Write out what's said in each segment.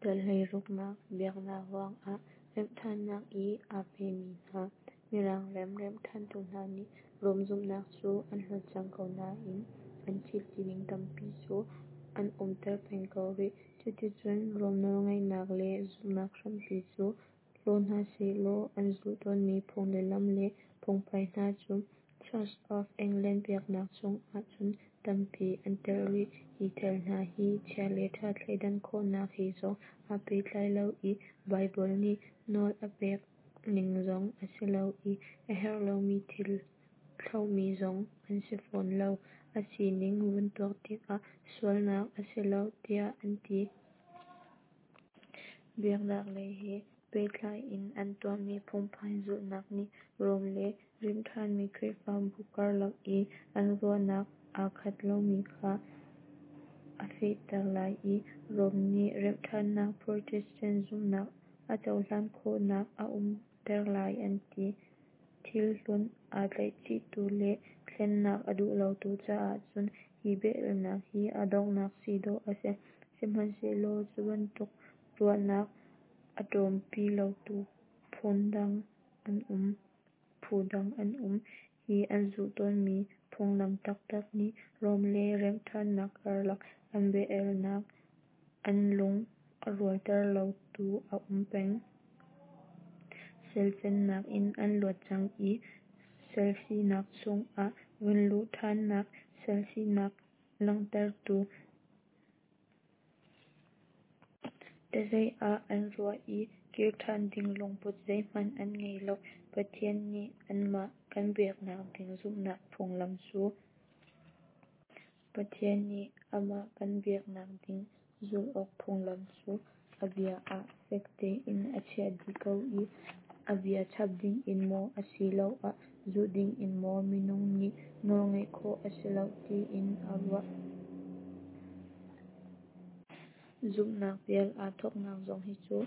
Dal 16nak Biaknak ruangah remhṭhannak i aa pemi hna. Mirang ram remhṭhantu hna nih Rom zumhnak cu an hlawt cang ko nain an thil tining tampi cu an umter peng ko rih. Cuticun Rom nawlngeihnak le zumhnak hrampi cu hlaw hna sehlaw an zulh tawnmi phung le lam le phungphai hna cu Church of England biaknak chungah cun tampi an telh rih. Hi thil hna hi chia le ṭha thleidan khawhnak he zong aa pehtlai lo i Baibal nih nawl a pek ning zong a si lo i a herh lomi thil thlauhmi zong an si fawn lo. A sining vun tuak tikah sualnak a si lo tiah an ti. Biaknak lei he pehtlai in an tuahmi phungphai zulhnak nih Rom le remhṭhanmi Khrihfabu karlak i an ruahnak aa khat lomi kha a fehter lai i Rom nih remhṭhannak Protestant zumhnak a cohlan khawhnak a umter lai an ti. Thil hlun aa tlaihchihtu le thlennak a duh lotu caah cun hi bia-alnak hi a donghnak si dawh a si. Sihmanhsehlaw cu bantuk ruahnak a ṭawmpi lotu phu dang an um. Hi an zulh tawnmi phunglam taktak nih Rom le remhṭhannak karlak an bia-alnak an lung a rualter lotu a um peng. Sal cannak in an luat cang i sal sinak chungah vun luh ṭhannak, sal sinak langhtertu ṭazeih ah an ruah i kir ṭhan ding lungput zeihmanh an ngei lo. Pathian nih amah kan biaknak ding zumhnak phunglam cu Pathian nih amah kan biaknak ding zulh awk phunglam cu a bia ah fek tein a chiah dih ko i a bia chap dingin maw asiloah zulh dingin maw minung nih nawlngeih khawh a si lo tiin a ruah. Zumhnak pial aa thawknak zong hi cu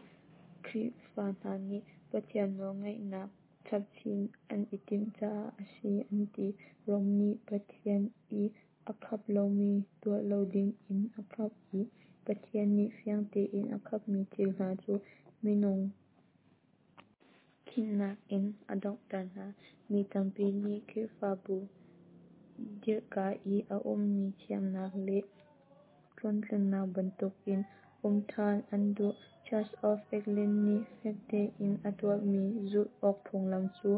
Khrihfa hna nih Pathian nawlngeihnak chapchin an i timh caah a si an ti. Rom nih Pathian i a khap lomi tuah lo dingin a khap i Pathian nih fiang tein a khapmi thil hna cu minung khinnak in a donghter hna. Mi tampi nih Khrihfabu dirhka i a ummi thiamnak le tluangtlamnak bantukin um ṭhan an duh. Church of England nih fek tein a tuahmi zulh awk phunglam cu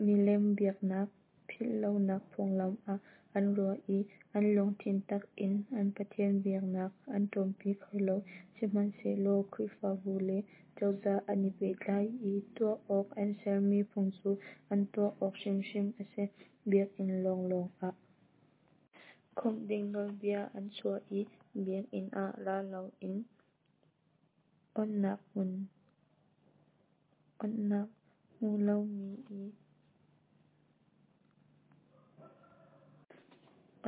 milem biaknak philhlonak phunglam ah an ruah i an lungthin tak in an Pathian biaknak an ṭawmpi kho lo. Sihmanhsehlaw Khrihfabu le cozah an i pehtlai i tuah awk an sermi phung cu an tuah awk hrimhrim a si. Biakinn lawnglawng ah khawmh ding nawlbia an chuah i biakinn ah ra loin onhnak hmu lomi i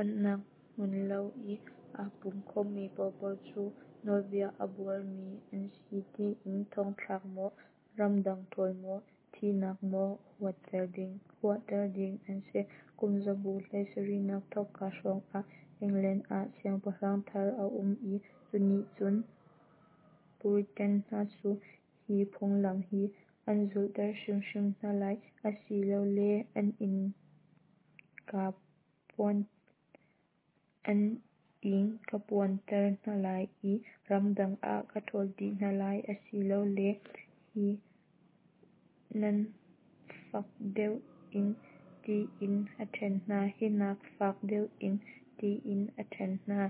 onhnak hmu lo i aa pum khawmmi paohpaoh cu nawlbia a buarmi an si tiin thongthlak maw, ramdang ṭhawl maw, thihnak maw huahter ding an si. Kum zabu 17nak thawkka hrawngah England ah siangpahrang thar a um i cu nih cun Puritan hna cu hi phunglam hi nan zulhter hrimhrim hna lai, asilole an inn ka phuanter hna lai i ramdang ah ka ṭhawl dih hna lai, asilole hi nak fak deuh in tiin a ṭhen hna. Hi nak fak deuh in tiin a ṭhen hna.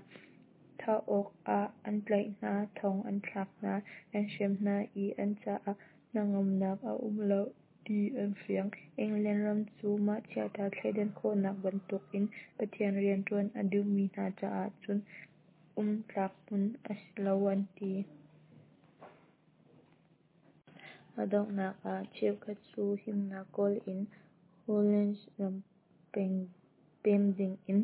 Thah awk ah an tlaih hna, thong an thlak hna, an hrem hna i an caah hnangamnak a um lo ti an fiang. England ram cu mah chiaṭha thleidan khawhnak bantukin Pathian rianṭuan a duhmi hna caah cun um tlak hmun a si lo an ti. A donghnak ah cheukhat cu himnak kawl in Holland ram pem dingin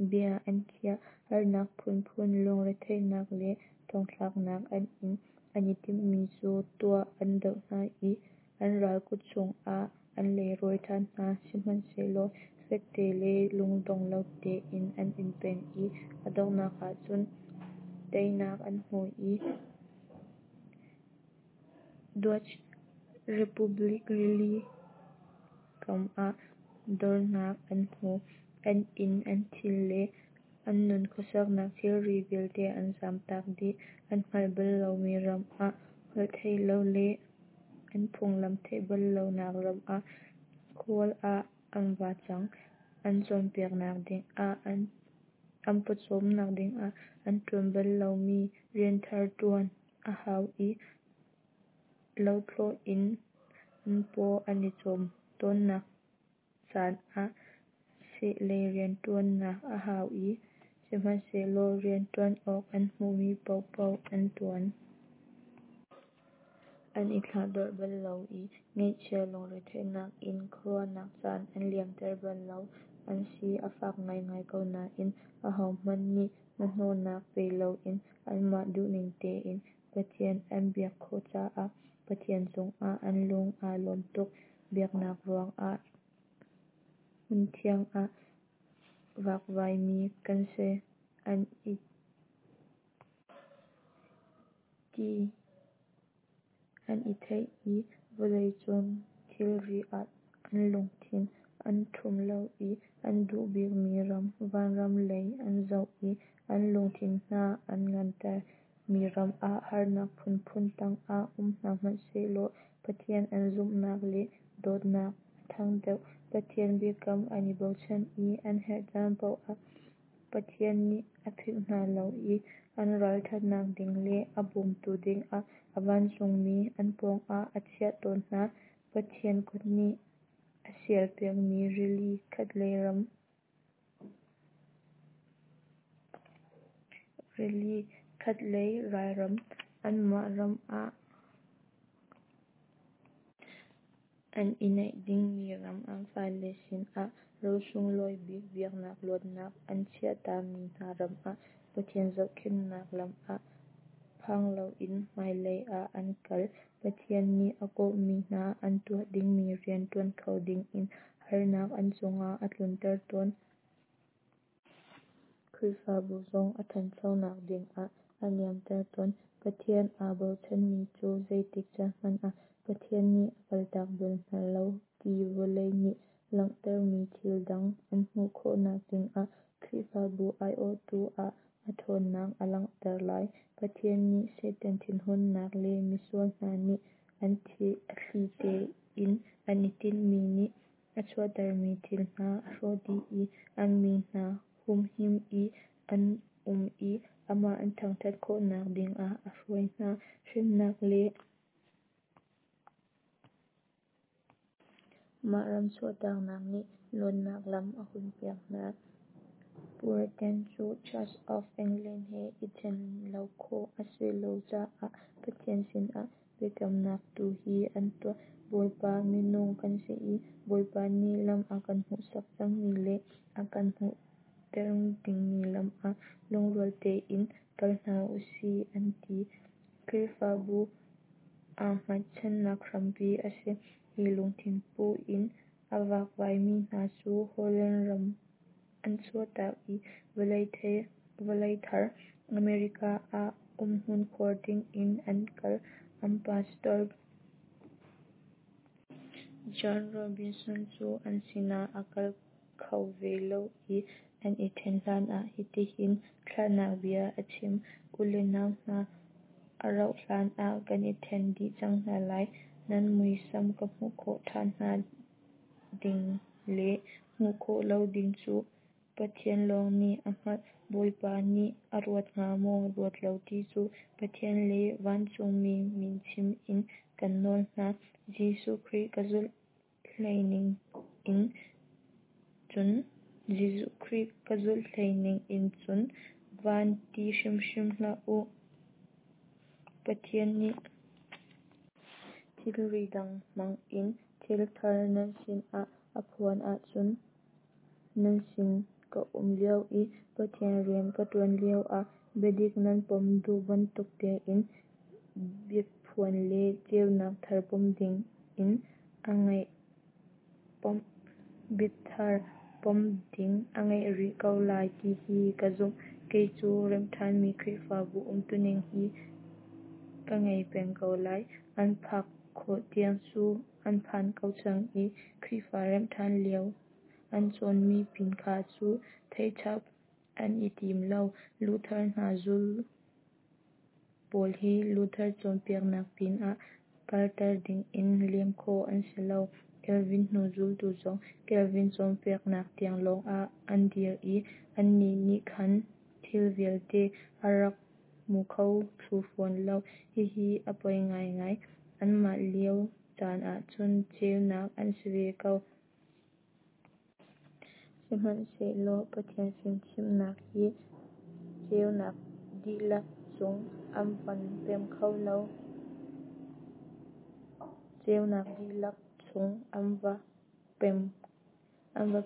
bia an khiah. Harnak phunphun, lungretheihnak le thongthlaknak an in. An i timhmi cu tuah an doh hna i an ral kut chungah an leirawi ṭhan hna. Sihmanhsehlaw fekte le lungdong lo tein an in peng i a donghnak ahcun teinak an hmu i. Dutch Republic rili kam ah dornak an hmu. An inn, an thil le an nun khuasaknak thilri vialte an zamtak dih. An hngalh bal lomi ram ah, holhtheihlo le an phunglam theih bal lonak ram ah khual ah an va cang. An cawnpiaknak dingah, an pawcawmnak dingah an ṭuan bal lomi rianthar ṭuan a hau i lothlawh in an paw an i cawm tawnnak caan ah seh lei rianṭuannak a hau i sihmanhsehlaw rianṭuan awk an hmuhmi paohpaoh an ṭuan. An i thlahdorh bal lo i ngaihchia lungretheihnak in khuaruahnak caan an liamter bal lo. An si a fak ngaingai ko nain ahohmanh nih hnahnawhnak pe loin anmah duhning tein Pathian an biak khawh caah Pathian cungah an lung aa lawm tuk. Biaknak ruangah hmunthiang ah vakvaimi kan si an i ti an i theih i vawleicung thilri ah an lungthin an ṭhum lo i an duh bikmi ram, vanram lei an zoh i an lungthin hna an nganter. Mi ram ah harnak phunphun tangah um hna hmanhsehlaw Pathian an zumhnak le dawtnak a ṭhang deuh. Pathian biakam an i bochan i an herh caan paoh ah Pathian nih a philh hna lo i an ralṭhatnak ding le a bawmtu dingah a vancungmi an pawngah a chiah tawn hna. Pathian kut nih a sialpiakmi rili khatlei ralram, anmah ram ah an i neih dingmi ram, an fale sinah ro sunglawi bik biaknak luatnak an chiahtami hna ram ah Pathian zohkhenhnak lam ah phang loin hmailei ah an kal. Pathian nih a kawhmi hna an tuah dingmi rian ṭuan kho dingin harnak an cungah a tlunter tawn. Khrihfabu zong a ṭhanchonak dingah a niamter tawn. Pathian aa bochanmi cu zeitik caan hmanh ah Pathian nih a kaltak bal hna lo ti vawlei nih langhtermi thil dang an hmuh khawhnak dingah Khrihfabu aiawhtu ah a ṭhawnnak a langhter lai. Pathian nih Satan thinhunnak le misual hna nih a thli tein an i tinhmi nih a chuahtermi thil hna a hrawh dih i an mi hna humhim i an um i amah an thangṭhat khawhnak dingah a hruai hna. Hremnak le mah ram chuahtaknak nih luatnak lam a hunpiak hna. Puritan cu Church of England he i ṭhen lo khawh a si lo caah Pathian sinah biakamnak tu hi an tuah: Bawipa, minung kan si i Bawipa nih lam a kan hmuhsak cangmi le a kan hmuhter dingmi lam ah lungrual tein kal hna usih an ti. Khrihfabu aa hngatchannak hrampi a si. Hi lungthin pu in a vakvaimi hna cu Holland ram an chuahtak i vawlei thar America ah umhmun khuar dingin an kal. An pastor John Robinson cu an sinah a kal kho ve lo i an i ṭhen hlanah hitihin thlahnak bia a chim: U le nau hna, a rauh hlan ah kan i ṭhen dih cang hna lai. Nan muisam ka hmuh khawh ṭhan hna ding le hmuh khawh lo ding cu Pathian lawng nih a hngalh. Bawipa nih a ruat hnga maw, ruat lo ti cu Pathian le vancungmi min chim in kan nawl hna. Jesuh Khrih ka zulh hlei ning in cun Jesuh Khrih ka zulh hlei ning in cun van ti hrimhrim hlah u. Pathian nih thilri dang hmang in thil thar nan sinah a phuan ahcun nan sin ka um lio i Pathian rian ka ṭuan lioah biadik nan pom duh bantuk tein biaphuan le ceunak thar pom ding a ngeih rih ko lai ti hi ka zumh. Kei cu remh ṭhanmi Khrihfabu umtuning hi ka ngei peng ko lai. An phak khawh tiang cu an phan ko cang i Khrihfa remhṭhan lio an cawnmi pin kha cu theih chap an i tim lo. Luther hnu zul pawl hi Luther cawnpiaknak pinah kalter dingin lem khawh an si lo. Calvin hnu zultu zong Calvin cawnpiaknak tiang lawngah an dir i annih nih khan thil vialte an rak hmu kho thlu fawn lo. Hihi a poi ngaingai. Anmah lio caan ahcun ceunak an si ve ko. Sihmanhsehlaw Pathian fimchimhnak hi ceunak dihlak chung an van pem kho lo. Ceunak dihlak chung an va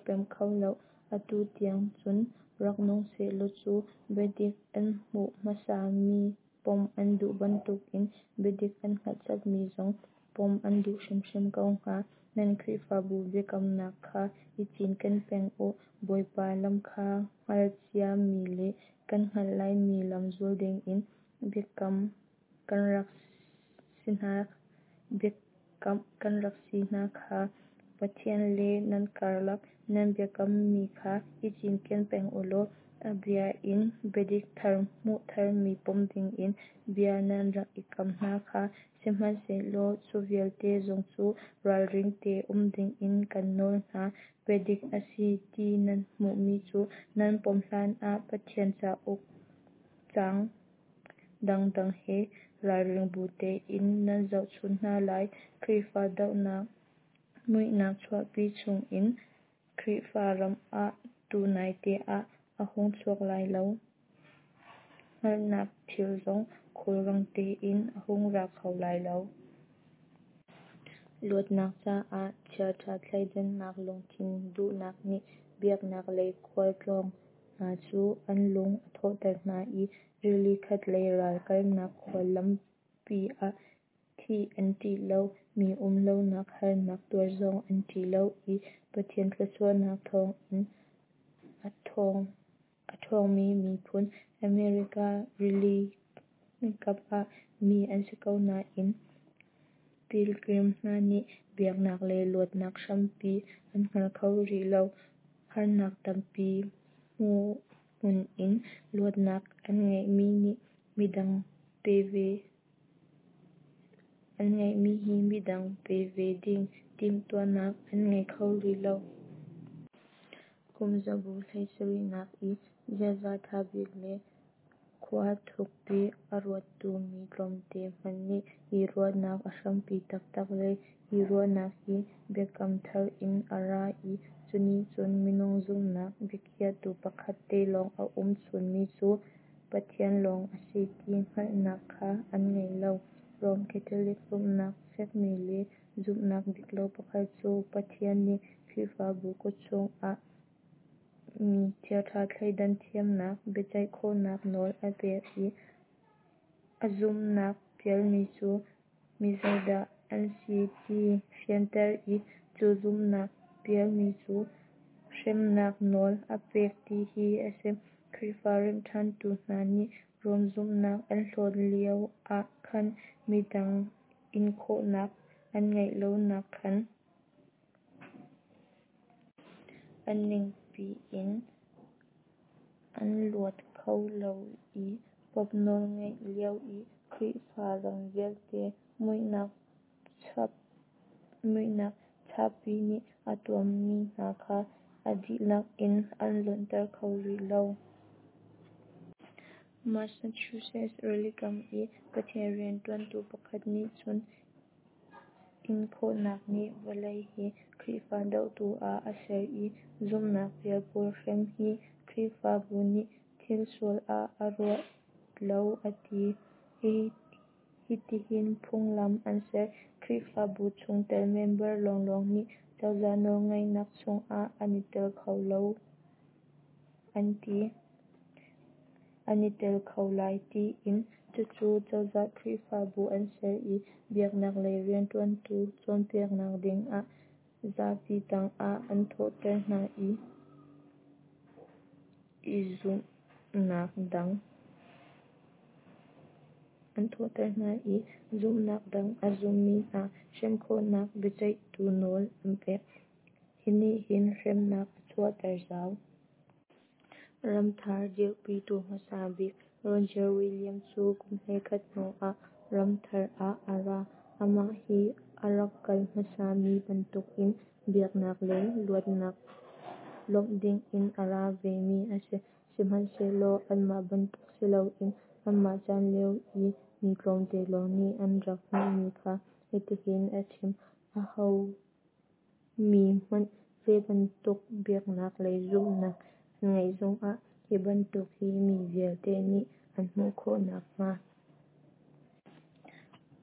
pem kho lo. Atu tiang cun rak nung sehlaw cu biadik an hmuh hmasa mi pom an duh bantukin biadik an hngalh chapmi zong pom an duh hrimhrim ko hnga. Nan Khrihfabu biakamnak kha i cinken peng u. Bawipa lam kha hngalh cia mi le kan hngalh lai mi lam zul dingin biakamh kan rak si hna kha. Pathian le nan karlak nan biakammi kha i cinken peng u law a bia in biadik thar hmuh tharmi pom dingin bia nan rak i kam hna kha. Sihmanhsehlaw cu vialte zong cu ralring te um dingin kan nawl hna. Biadik a si ti nan hmuhmi cu nan pom hlanah Pathian cauk caang dangdang he ralring bu tein nan zohchun hna lai. Khrihfa dohnak muihnak chuahpi chungin Khrihfa ram ah tunaite ah a hung chuak lai lo. Hngalhnak thil zong khulrang tein a hung ra kho lai lo. Luatnak caah chiaṭha thleidannak lungthin duhnak nih biaknak lei khualtlawng hna cu an lung a thawhter hna i rili khatlei ral kalnak khual lampi ah thih an ṭih lo, mi um lonak harnak tuar zong an ṭih lo i Pathian thluachuahnak thawngin a ṭhawngmi miphun, America rilikam ah mi an si ko nain Pilgrim hna nih biaknak lei luatnak hrampi an hngal kho rih lo. Harnak tampi hmuhhmun in luatnak an ngeihmi hi midang pe ve ding timhtuahnak an ngei kho rih lo. Kum zabu 17nak i ziaza ṭha bik le khua thukpi a ruattu mi tlawmte hmanh nih hi ruahnak a hrampi taktak le hi ruahnak hi Biakam Thar in a ra i cunih cun minung zumhnak biakhiahtu pakhat te lawng a um chunmi cu Pathian lawng a si ti hngalhnak kha an ngei lo. Rom Catholic zumhnak fekmi le zumhnak diklo pakhat cu Pathian nih Khrihfabu kut chungah mi chiaṭha thleidan thiamnak, biaceih khawhnak nawl a pek i a zumhnak pialmi cu mizeidah an si ti fianter i cu zumhnak pialmi cu hremnak nawl a pek ti hi a si. Khrihfa remhṭhantu hna nih Rom zumhnak an hlawt lio ah khan midang inkhawhnak an ngeih lonak khan a ningpi in an luat kho lo i Pope nawlngeih lio i Khrihfa ram vialte muihnak chahpi nih a tuammi hna kha a dihlak in an luatter kho rih lo. Massachusetts rilikam i Pathian rianṭuantu pakhat nih cun inkhawhnak nih vawlei hi Khrihfa dohtu ah a ser i zumhnak pial pawl hrem hi Khrihfabu nih thil sual ah a ruat lo a ti. Hitihin phunglam an ser: Khrihfabu chungtel member lawnglawng nih cozah nawlngeihnak chungah an i tel kho an ti. An i tel kho lai tiin. Cucu cozah Khrihfabu an ser i biaknak lei rianṭuantu cawnpiaknak dingah zapi tangah an thawhter hna i zumhnak dang. an thawhter hna i zumhnak dang a zummi hna hrem khawhnak biaceihtu nawl an pek. Hi nih hin hremnak a chuahter zau. Ramthar dirhpitu hmasa bik Roger Williams cu kum 11 hnu ah ramthar ah a ra. Amah hi a rak kal hmasa mi bantukin biaknak lei luatnak lawmh dingin a ra ve mi a si. Sihmanhsehlaw anmah bantuk si loin amah chan lio i mi tlawmte lawng nih an rak hmuhmi kha hitihin a chim: Aho mi hmanh zeibantuk biaknak lei zumhnak an ngeih zongah hi bantuk hi mi vialte nih an hmuh khawh nakhnga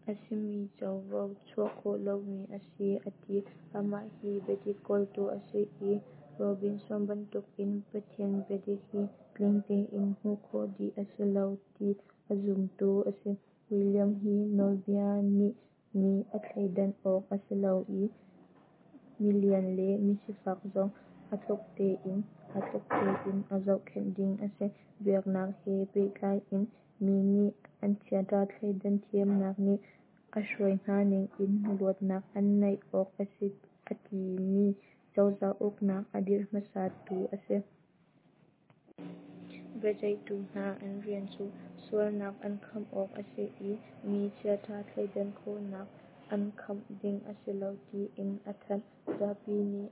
a simi covo chuh khawh lomi a si, a ti. Amah hi biadik kawltu a si i Robinson bantukin Pathian biadik hi tling tein hmuh khawh dih a si lo ti a zumtu a si. William hi nawlbia nih mi a thleidan awk a si lo i milian le misifak zong aa tluk tein a zohkhenh ding a si, biaknak he pehtlai in mi nih an chiaṭha thleidan thiamnak nih a hruai hna ningin luatnak an neih awk a si a timi cozah uknak a dirh hmasatu a si. Biaceihtu hna an rian cu sualnak an kham awk a si i mi chiaṭha thleidan khawhnak an kham ding a si lo tiin a thanh. Zapi nih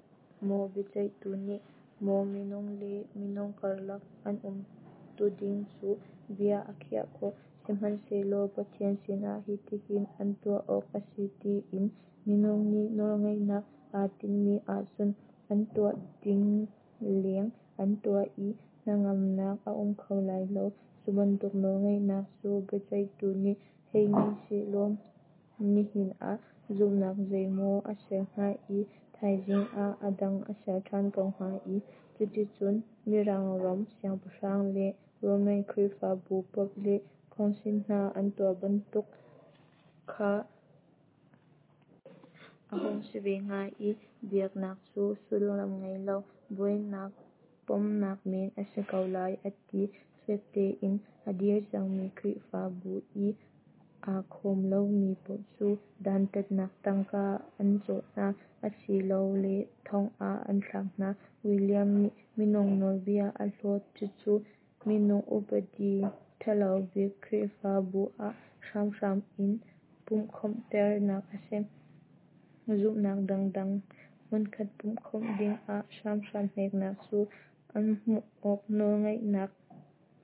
maw biaceihtu nih maw minung le minung karlak an umtuning cu bia a khiah khawh, sihmanhsehlaw Pathian sinah hitihin an tuah awk a si tiin minung nih nawlngeihnak aa tinhmi ahcun an tuah ding leng an tuah i hnangamnak a um kho lai lo. Cu bantuk nawlngeihnak cu biaceihtu nih hei ngei sehlaw nihin ah zumhnak zeimaw a ser hnga i thaizing ah a dang a ser ṭhan ko hnga i cuticun Mirang ram siangpahrang le Roman Khrihfabu Pope le Council hna an tuah bantuk kha a hung si ve hnga i biaknak cu sullam ngei lo buainak pomnak men a si ko lai, a ti. Fek tein a dir cangmi Khrihfabu i aa khawm lomi paoh cu dantatnak tangka an cawh hna, asilole thong ah an thlak hna. William nih minung nawlbia a hlawt, cucu minung upadi ṭhalo bik Khrihfabu ah hramhram in pumhkhawmhternak a si. Zumhnak dangdang hmunkhat pumhkhawmh dingah hramhram hneknak cu an hmuh awk nawlngeihnak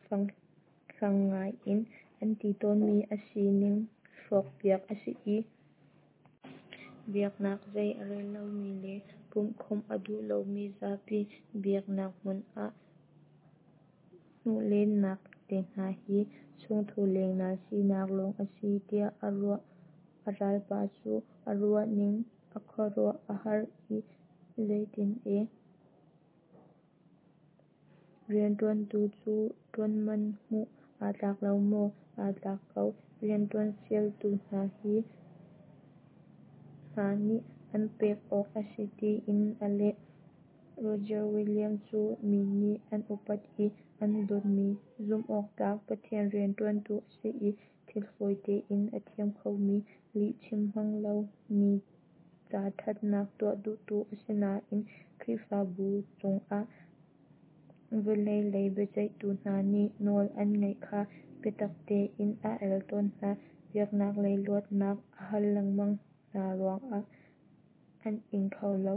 fanghlang ngai in an ti tawnmi a sining hrawkpiak a si i biaknak zei a rel lomi le pumhkhawmh a duh lomi zapi biaknak hmun ah hnuh lennak te hna hi chungthu lengnal sinak lawng a si tiah a ruah. A ralpa cu a ruahning a khuaruah a har i Zeitin e? Rianṭuantu cu ṭuanman hmuh aa tlak lo maw? Aa tlak ko. Rianṭuan fialtu hna nih an pek awk a si, tiin a leh. Roger Williams cu mi nih an upat i an dawtmi zumhawktlak Pathian rianṭuantu a si i thil fawi tein a thiam khomi, lihchim hmang lo, mi ca ṭhatnak tuah duhtu a si nain Khrihfabu cungah vawlei lei biaceihtu hna nih nawl an ngeih kha biatak tein a el tawn hna. Biaknak lei luatnak a hal lengmang hna ruangah an ing kho lo.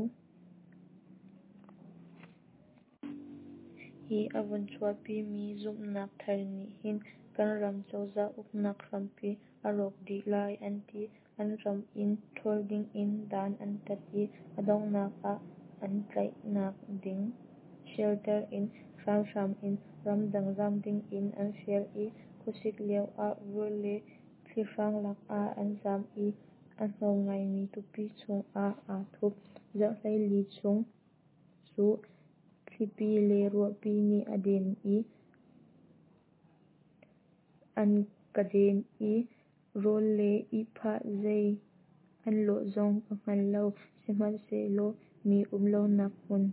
Hi a vun chuahpimi zumhnak thar nih hin kan ram cozah uknak hrampi a rawk dih lai, an ti. An ram in ṭhawl dingin dan an tat i a donghnak ah an tlaihnak ding shelter in hramhram in ramdang zam dingin an fial i khuasik lioah vur le thlihrang lakah an zam i a hnawm ngaimi tupi chungah aa thup. Zarh 14 chung cu thlipi le ruahpi nih a den i an ka den i rawl le ihphah zei an lawh zong ka hngal lo, sihmanhsehlaw mi um lonak hmun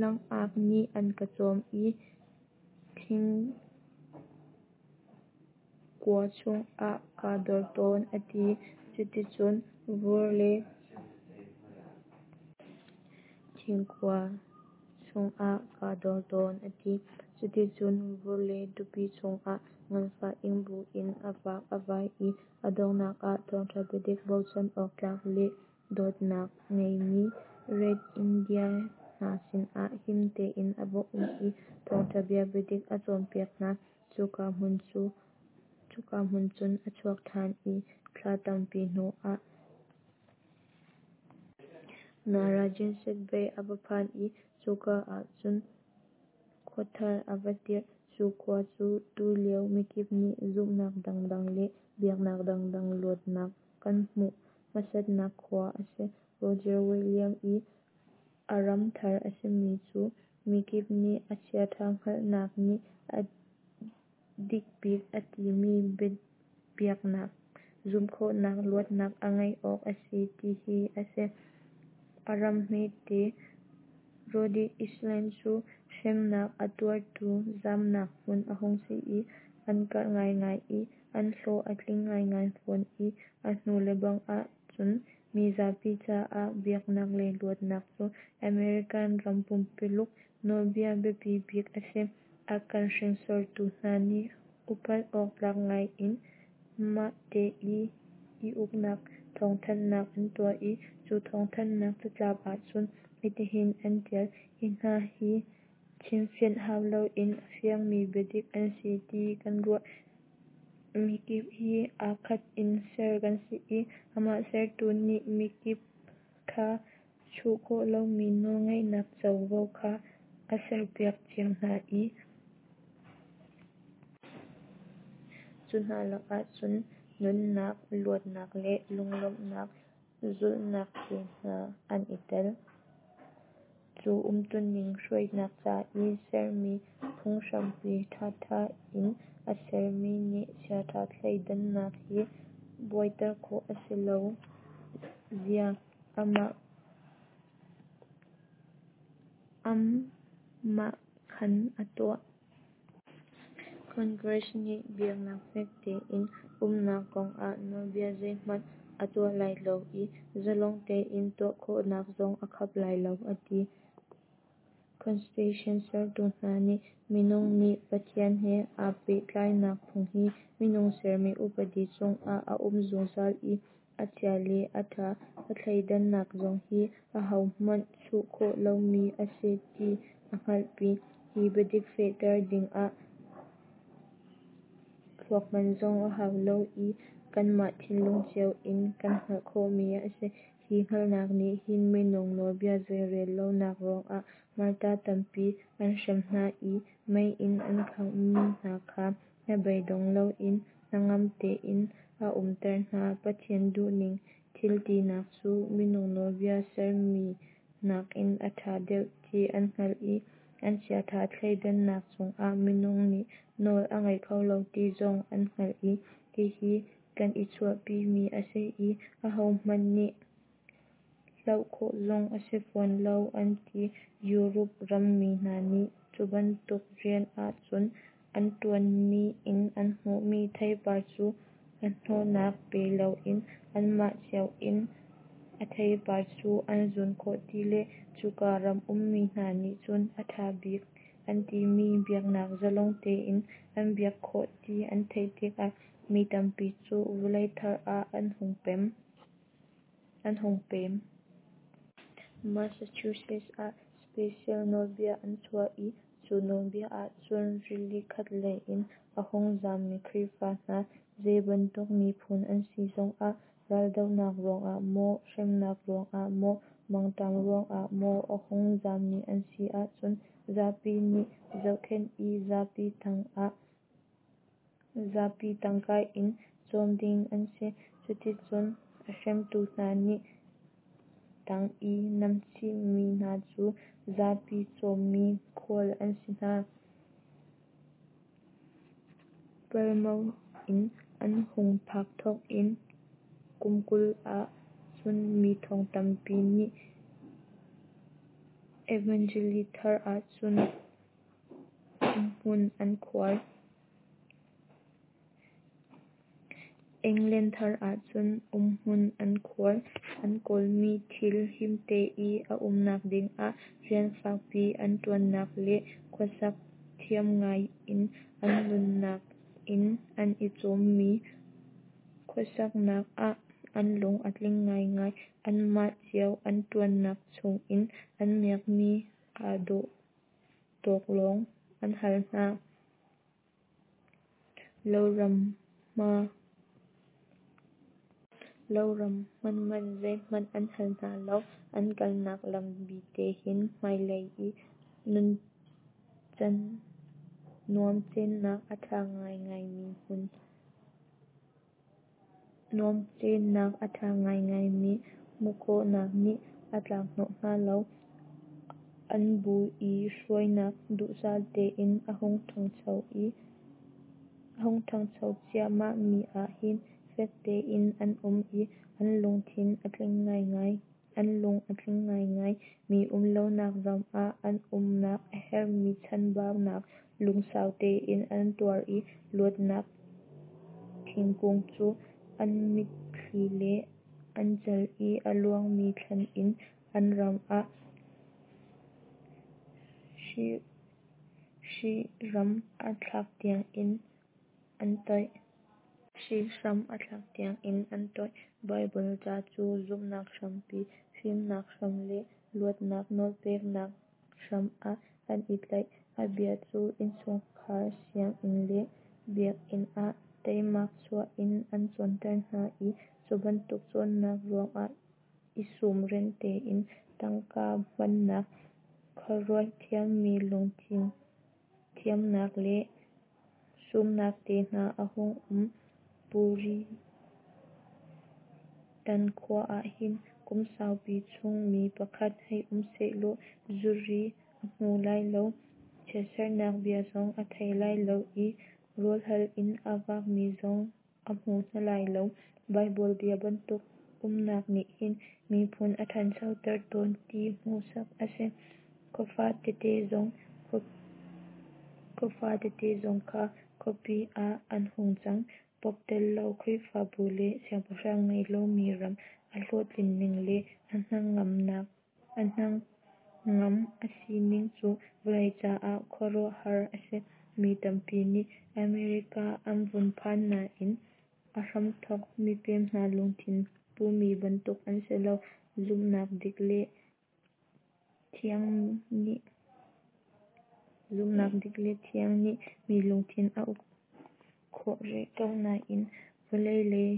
langaak nih an ka cawm i thing. kua chungah kaa dor tawn," a ti. Cuticun vur le thingkua chungah kaa dor tawn, a ti. Cuticun vur le tupi chungah nganfah ing buin a vak a vai i a donghnak ah thawngṭha biadik bochan awktlak le dawtnak ngeimi Red Indian hna sinah him tein a va um i thawngṭha bia biadik a cawnpiak hna. Cuka hmun cun a chuak ṭhan i thla tampi hnuah Narragansett Bay a va phan i cuka ahcun khuathar a va dirh. Cu khua cu tulio mikip nih zumhnak dangdang le biaknak dangdang luatnak kan hmuh hmasatnak khua a si. Roger Williams i a ram thar a simi cu mikip nih a chiaṭha hngalhnak nih a dikbik a timi biaknak zumh khawhnak luatnak a ngeih awk a si ti hi a si. A ram hmete Rhode Island cu hremnak a tuartu zamnak hmun a hung si i an karh ngaingai i an hlawh a tling ngaingai fawn i a hnu lebang ahcun mi zapi caah biaknak lei luatnak cu American ram pumpululuk nawlbia biapi bik a si. A kan hringsortu hna nih upat awktlak ngai in mahte i uknak thawngthanhnak an tuah i cu thawngthanhnak catlap ahcun hitihin an ṭial: Hi hna hi chimfianh hau loin a fiangmi biadik an si ti kan ruah. Mikip hi aa khat in ser kan si i amah sertu nih mikip kha chuh khawh lomi nawlngeihnak covo kha a serpiak cio hna i cu hna lakah cun nunnak, luatnak le lunglawmhnak zulhnak te hna an i tel. Cu umtuning hruainak ca i sermi phunghrampi ṭhatha in a sermi nih chiaṭha thleidannak hi buaiter khawh a si lo zia aamahkhan a tuah. Congress nih biaknak fek tein umnak kongah nawlbia zeihmanh a tuah lai lo i zalong tein tuah khawhnak zong a khap lai lo, a ti. Constitution sertu hna nih minung nih Pathian he aa pehtlainak phung hi minung sermi upadi chungah a um zungzal i a chia le a ṭha a thleidannak zong hi ahohmanh chuh khawh lomi a si ti a hngalhpi. Hi biadik fehter dingah thluak hman zong a hau lo i kanmah thinlung cio in kan hngalh khawhmi a si. Hi hngalhnak nih hin minung nawlbia zeirel lonak ruangah martar tampi an hrem hna i mei in an khanghmi hna kha hnabeidong loin hnangam tein a umter hna. Pathian duhning thil tinak cu minung nawlbia sermi nakin a ṭha deuh ti an hngalh i an chiaṭha thleidannak cungah minung nih nawl a ngei kho lo ti zong an hngalh i hihi kan i chuahpimi a si i ahohmanh nih hloh khawh zong a si fawn lo, an ti. Europe rammi hna nih cubantuk rian ahcun an ṭuanmi in an hmuhmi theipar cu hnahnawhnak pe loin anmah cio in a theipar cu an zun khawh ti le cuka ram ummi hna nih cun a ṭha bik an timi biaknak zalong tein an biak khawh ti an theih tikah mi tampi cu vawlei thar ah an hung pem. Massachusetts ah special nawlbia an chuah i cu nawlbia ahcun rili khatlei in a hung zammi Khrihfa hna zeibantuk miphun an si zongah raldohnak ruangah maw, hremnak ruangah maw, mangṭam ruangah maw a hung zammi an si ahcun zapi nih zohkhenh i zapi tangka in cawm ding an si. Cuticun a hremtu hna nih tang i namchihmi hna cu zapi cawmmi khual an si hna. Plymouth inn an hung phak thawk in kum 20 ah cun mi thong tampi nih Evangeli thar ahcun umhmun an khuar. England thar ahcun umhmun an khuar. An kawlmi thil himte i a umnak dingah rian fakpi an ṭuannak le khuasak thiam ngai in an nunnak in an i cawmmi khuasaknak ah an lung a tling ngaingai. Anmah cio an ṭuannak chungin an miakmi aa dawh tawk lawng an hal hna. Loram hmun man zeihmanh an hal hna lo. An kalnak lam bite hin hmailei i nuamcennak a ṭha ngaingaimi hmuhkhawhnak nih a tlak hnawh hna lo. An bu i hruainak duhsah tein a hung ṭhangcho ciahmah mi ah hin fek tein an um i an lungthin a tling ngaingai. An lung a tling ngaingai. Mi umlonak ram ah an umnak a herhmi chanbaunak lungsau tein an tuar i luatnak thingkung cu an mitthli le an cal i a luangmi thlan in an ram ah hrihhram a thlak tiangin an toih. Baibal ca cu zumhnak hrampi, fimnak hram le luatnak nawlpeknak hram ah an i tlaih. A bia cu innchungkhar, sianginn le biakinn ah teimak chuah in an cawnter hna i cubantuk cawnnak ruangah i sum ren tein tangka hmannak, khuaruat thiammi lungthin thiamnak le sumnak te hna a hung um. Puritan khua ahhin kum saupi chung mi pakhat hei um sehlaw zuri a hmu lai lo, chiatserhnak bia zong a thei lai lo i rawlhal in a vakmi zong a hmu hna lai lo. Baibal bia bantuk umnak nih hin miphun a ṭhanchoter tawn ti hmuhsak a si. Khuafa tete zong kha khuapi ah an hung cang. Pope tello Khrihfabu le siangpahrang ngei lomi ram a hlawhtlin ning le a hnangam a si ning cu vawlei caah khuaruahhar a si. Mi tampi nih America an vun phan nain a hramthawk mipem hna lungthin pumi bantuk an si lo. Zumhnak dik le thiang nih mi lungthin a uk khawh rih ko nain vawlei lei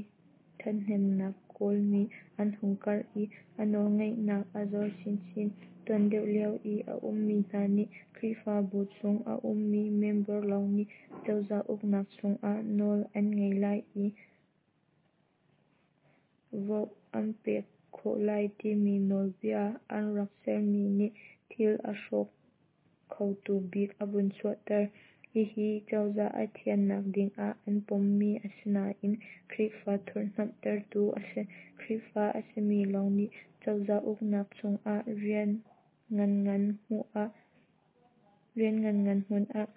ṭhathnemnak kawlmi an hung karh i a nawlngeihnak a zor chinchin. Tuan deuh lio i a ummi hna nih Khrihfabu chung a ummi member lawng nih cozah uknak chungah nawl an ngei lai i vote an pek khawh lai timi nawlbia an rak sermi nih thil a hrawk khotu bik a vun chuahter. Hihi cozah a thiannak dingah an pommi a si nain Khrihfa thurhhnawmhtertu a si. Khrihfa a simi lawng nih cozah uknak chungah rian nganngan hmun ah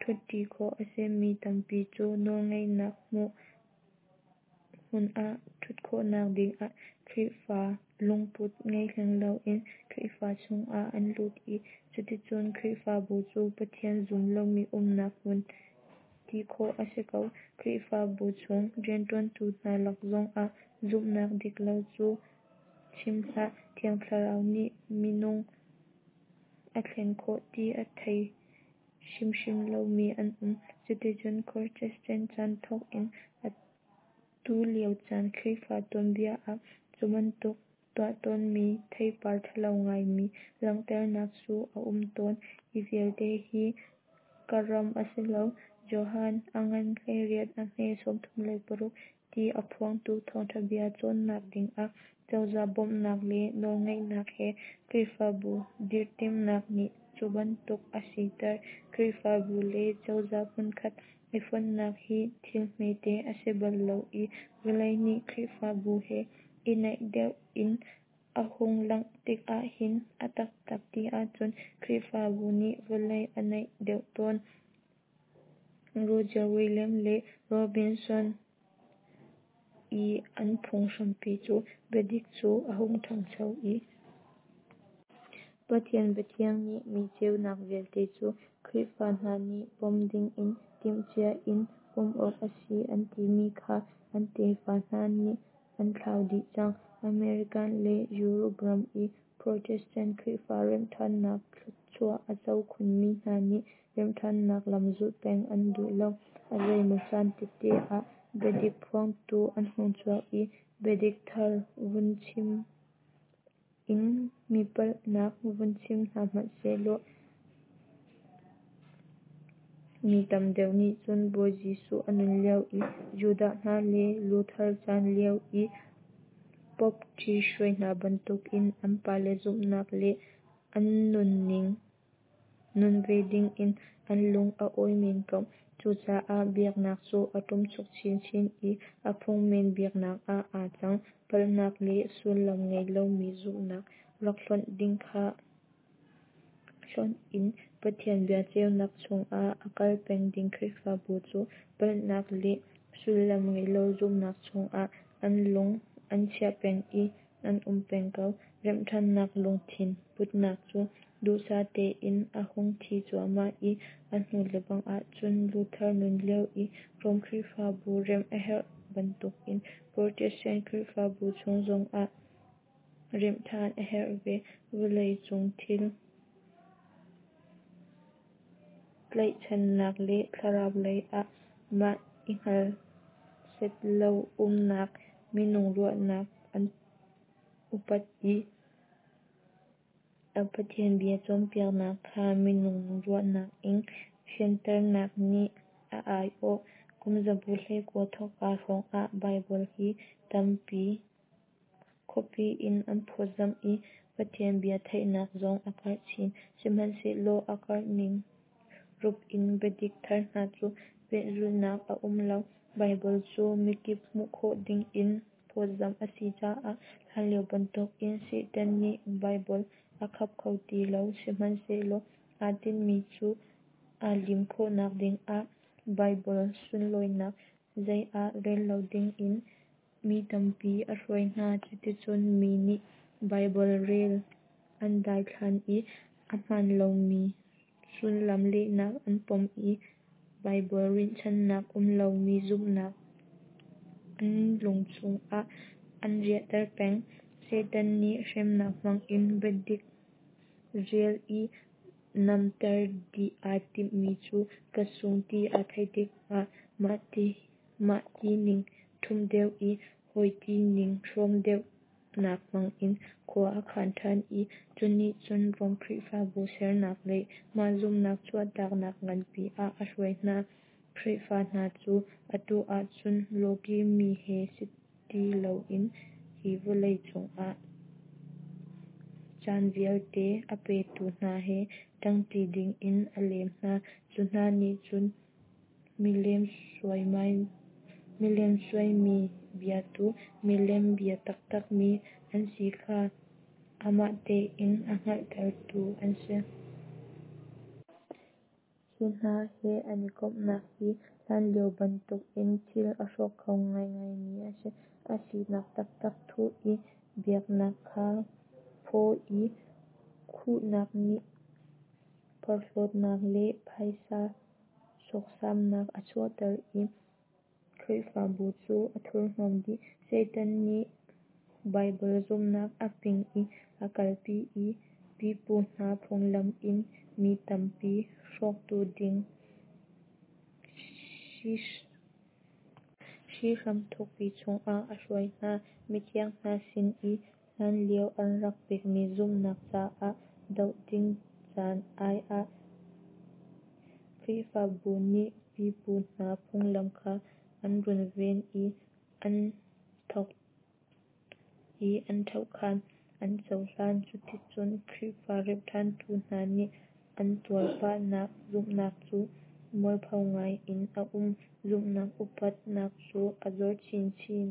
ṭhutṭi khawh a si. Mi tampi cu nawlngeihnak hmun ah ṭhut khawhnak dingah Khrihfa lungput ngei hleng loin Khrihfa chungah an lut i cuticun Khrihfabu cu Pathian zum lomi umnak hmun ti khawh a si ko. Khrihfabu chung rianṭuantu hna lak zongah zumhnak dik lo cu chim hlah, Thiang Thlarau nih minung a thlen khawh ti a thei hrimhrim lomi an um. Cuticun Protestant chan thawk in atu lio chan Khrihfa tuanbia ah cubantuk tuahtawnmi theipar ṭhalo ngaimi langhternak cu a um tawn. Hi vialte hi ka ram a si lo. Johan a ngan 18 a hme 36 ti a phuangtu thawngṭha bia cawnnak dingah cozah bawmhnak le nawlngeihnak he Khrihfabu dirh timhnak nih cubantuk a siter. Khrihfabu le cozah hmunkhat i fonhnak hi thil hmete a si bal lo i vawlei nih Khrihfabu he i naih deuh in a hung langh tikah hin a taktak ti ahcun Khrihfabu nih vawlei a naih deuh tawn. Roger Williams le Robinson. I an phunghrampi cu biadik cu a hung ṭhangcho i. Pathian biathiang nih mi ceunak vialte cu Khrihfa hna nih pom dingin timhcia in pom awk a si an timi kha an tefa hna nih an thlau dih cang. American le Europe ram i Protestant Khrihfa remhṭhannak thluachuah a co khunmi hna nih remhṭhannak lam zulh peng an duh lo. A zeimaw caan tete ah biadik phuangtu an hung chuak i biadik thar vun chim in mi palhnak vun chim hna hmanh sehlaw mi tam deuh nih cun Bawi Jesuh a nun lio i Judah hna le Luther caan lio i Pope ṭhihruai hna bantukin an pale zumhnak le an nunning nun ve dingin an lung a awi men ko. Cucaah biaknak cu a ṭumchuk chinchin i a phungmen biaknak ah aa cang. Palhnak le sullam ngei lomi zumhnak rak hlonh ding kha hlonh in Pathian bia ceunak chungah a kal peng ding Khrihfabu cu palhnak le sullam ngeilo zumhnak chungah an lung an chiah peng i an um peng ko. Remhṭhannak lungthin putnak cu duhsah tein a hung thi cuahmah i a hnu lebang ahcun Luther nun lio i Rom Khrihfabu remh a herh bantukin Protestant Khrihfabu chung zongah remh ṭhan a herh ve. Vawlei cung thil tlaihchannak le thlarau lei ah mah i hngal set lo umnak, minung ruahnak an upat i Pathian bia cawnpiaknak kha minung ruahnak in fianternak nih a aiawh. Kumzabu 19 thawkka hrawngah Baibal hi tampi copy in an phawtzamh i Pathian bia theihnak zong a karh chin. Sihmanhsehlaw a karh ning rup in biadik thar hna cu pehzulhnak a um lo. Baibal cu mikip hmuh khawh dingin phawtzamh a si caah hlanlio bantukin Satan nih Baibal a khap kho ti lo. Sihmanhsehlaw aa tinhmi cu aa lim khawhnak dingah Baibal sunlawinak zei ah rel lo dingin mi tampi a hruai hna. Cuticun mi nih Baibal rel an daithlan i a hmaan lomi sullam lehnak an pom i Baibal rinhchannak um lomi zumhnak an lung chungah an riahter peng. Satan nih hremnak hmangin biadik rial i namter dih aa timhmi cu ka sung ti aa theih tikah mah tining ṭhumh deuh i hawi tining hrawm deuhnak hmangin khua a khan ṭhan i cunih cun Rom Khrihfabu sernak le mah zumhnak chuahtaknak nganpi ah a hruai hna. Khrihfa hna cu atu ahcun lawkih mi he si ti loin hi vawlei cungah caan vialte a petu hna he ṭangṭi dingin a lem hna. Cu hna nih cun milem suaimi biatu, milem bia taktakmi an si kha amah tein a hngalhtertu an si. Hi hna he an i komhnak hi hlanlio bantukin thil a hrawk kho ngaingaimi a si. A sinak taktak thuh i biaknak kha phaw i khuhnak nih porhlawtnak le phaisa sawksamnak a chuahter i Khrihfabu cu a thurhnawm dih. Satan nih Baibal zumhnak a ping in a kalpi i pipu hna phunglam in mi tampi hrawktu ding hrihhram thukpi chungah a hruai hna. Mithiang hna sin i hlanlio an rak pekmi zumhnak caah doh ding caan ai ah Khrihfabu nih pipu hna phunglam kha an runven i an thohkhan, an cohlan. Cuticun Khrihfa remhṭhantu hna nih an tuarpahnak zumhnak cu mualpho ngai in a um. Zumhnak upatnak cu a zor chinchin.